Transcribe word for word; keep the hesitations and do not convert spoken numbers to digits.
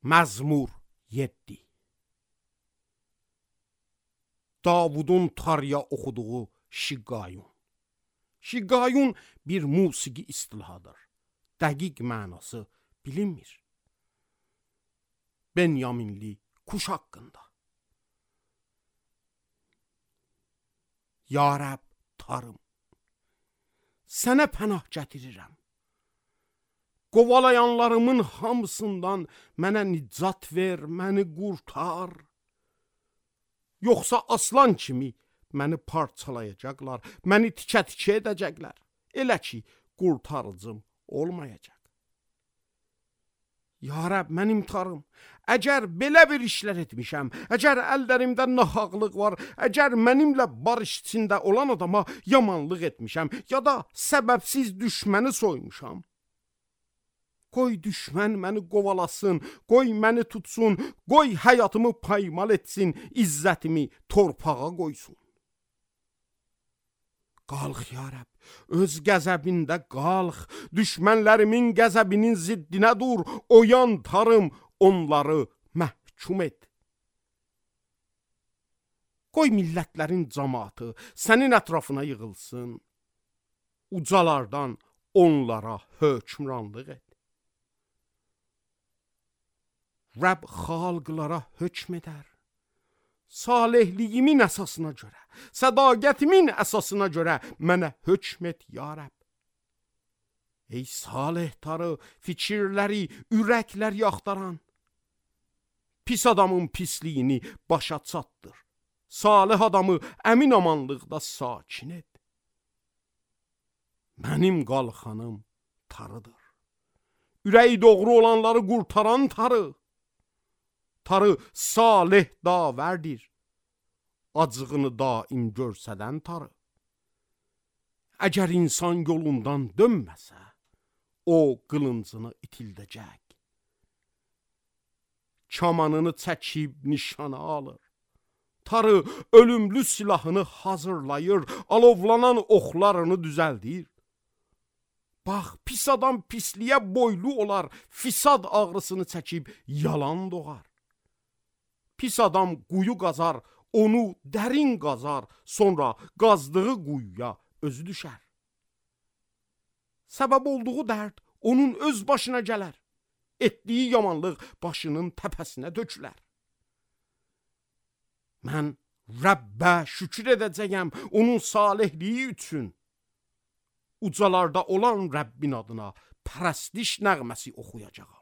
Məzmur yeddi. Davudun tarya oxuduğu Şiqqayun. Şiqqayun bir musiqi istilahadır. Dəqiq mənası bilinmir. Benyaminli kuş haqqında. Ya Rəbb tarım, sənə pənah gətirirəm. Qovalayanlarımın hamısından mənə nicat ver, məni qurtar. Yoxsa aslan kimi məni parçalayacaqlar, məni tikə-tikə edəcəklər. Elə ki, qurtarıcım olmayacaq. Ya Rəbb, mənim tarım, əgər belə bir işlər etmişəm, əgər əllərimdə nahaqlıq var, əgər mənimlə barış içində olan adama yamanlıq etmişəm, ya da səbəbsiz düşməni soymuşam, qoy düşmən məni qovalasın, qoy məni tutsun, qoy həyatımı paymal etsin, izzətimi torpağa qoysun. Qalx ya Rəbb, öz qəzəbində qalx, düşmənlərimin qəzəbinin ziddinə dur, oyan tarım, onları məhkum et. Qoy millətlərin cəmaatı sənin ətrafına yığılsın, ucalardan onlara hökmranlıq et. Rəbb xalqlara hökm edər, salihliyimin əsasına görə, sədaqətimin əsasına görə mənə hökm et ya Rəbb. Ey salih tarı, fikirləri, ürəkləri axtaran, pis adamın pisliyini başa çatdır, salih adamı əmin amanlıqda sakin et. Mənim qalxanım tarıdır, ürəyi doğru olanları qurtaran tarı. Tarı salih davərdir, acığını daim görsədən tarı. Əgər insan yolundan dönməsə, o qılıncını itildəcək. Kamanını çəkib nişana alır. Tarı ölümlü silahını hazırlayır, alovlanan oxlarını düzəldir. Bax, pis adam pisliyə boylu olar, fisad ağrısını çəkib yalan doğar. Pis adam quyu qazar, onu dərin qazar, sonra qazdığı quyuya özü düşər. Səbəb olduğu dərd onun öz başına gələr, etdiyi yamanlıq başının təpəsinə dökülər. Mən Rəbbə şükür edəcəyəm onun salihliyi üçün. Ucalarda olan Rəbbin adına pərəstiş nəğməsi oxuyacağam.